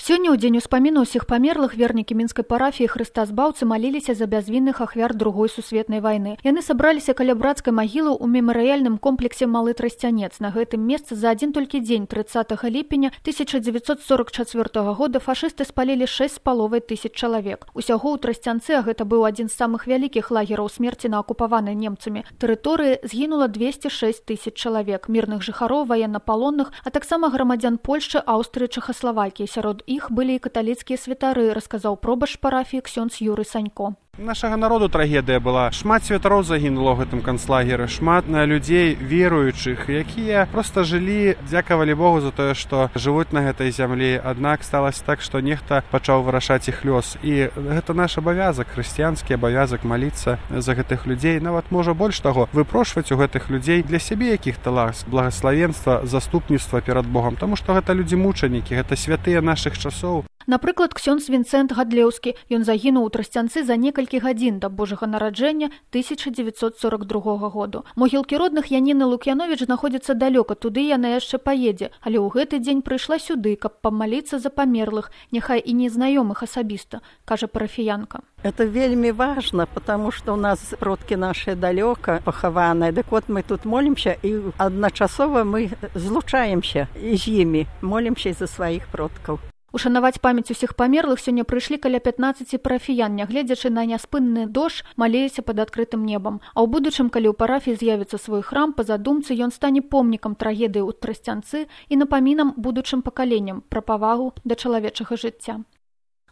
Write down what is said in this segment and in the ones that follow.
Сёння, у дзень успаміну ўсіх памерлых, вернікі мінскай парафіі Хрыста Збаўцы маліліся за бязвінных ахвяр Другой сусветнай вайны. Яны сабраліся каля брацкай магілы ў мемарыяльным комплексе Малы Трасцянец. На гэтым месцы за адзін толькі дзень 30 ліпеня 1944 года фашысты спалілі 6,5 чалавек. Усяго ў Трасцянцы, а гэта быў адзін з самых вялікіх лагераў смерці на акупаванай немцамі тэрыторыі, згінула 206 000 чалавек, мірных жыхароў, ваеннапалонных, а таксама грамадзян Польшчы, Аўстрыі, Чэхаславакіі. Сярод іх былі і каталіцкія святары, расказаў пробашч парафіі ксёндз Юрый Санько. Нашага народу трагедыя была. Шмат святароў загінула ў гэтым канцлагеры, шмат людзей веруючых, якія проста жылі, дзякавалі Богу за тое, што жывуць на гэтай зямлі. Аднак сталася так, што нехта пачаў вырашаць іх лёс. І гэта наш абавязак, хрысціянскі абавязак маліцца за гэтых людзей. Нават можа больш таго, выпрошваць у гэтых людзей для сябе якіх-то ласк, благаславенства, заступніцтва перад Богам, таму што гэта людзі-мучанікі, гэта святыя нашых часоў. Напрыклад, ксёндз Вінцэнт Гадлеўскі. Ён загінуў у Трасцянцы за некалькі гадзін да Божага нараджэння 1942 году. Могілкі родных Яніны Лук'яновіч знаходзяцца далёка, туды яна яшчэ паедзе, але ў гэты дзень прыйшла сюды, каб памаліцца за памерлых, няхай і незнаёмых асабіста, кажа парафіянка. Это вельмі важно, потому что у нас продкі наши далёка пахаваныя. Дык вот мы тут молимся, і адначасова мы злучаемся з імі, молимся за сваіх продкаў. Ушанаваць памяць усіх памерлых сёння прыйшлі каля 15 парафіян, нягледзячы на няспынны дождж, маліліся пад адкрытым небам. А ў будучым, калі ў парафіі з'явіцца свой храм, па задумцы ён стане помнікам трагедыі ў Трасцянцы і напамінам будучым пакаленням пра павагу да чалавечага жыцця.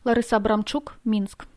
Ларыса Абрамчук, Мінск.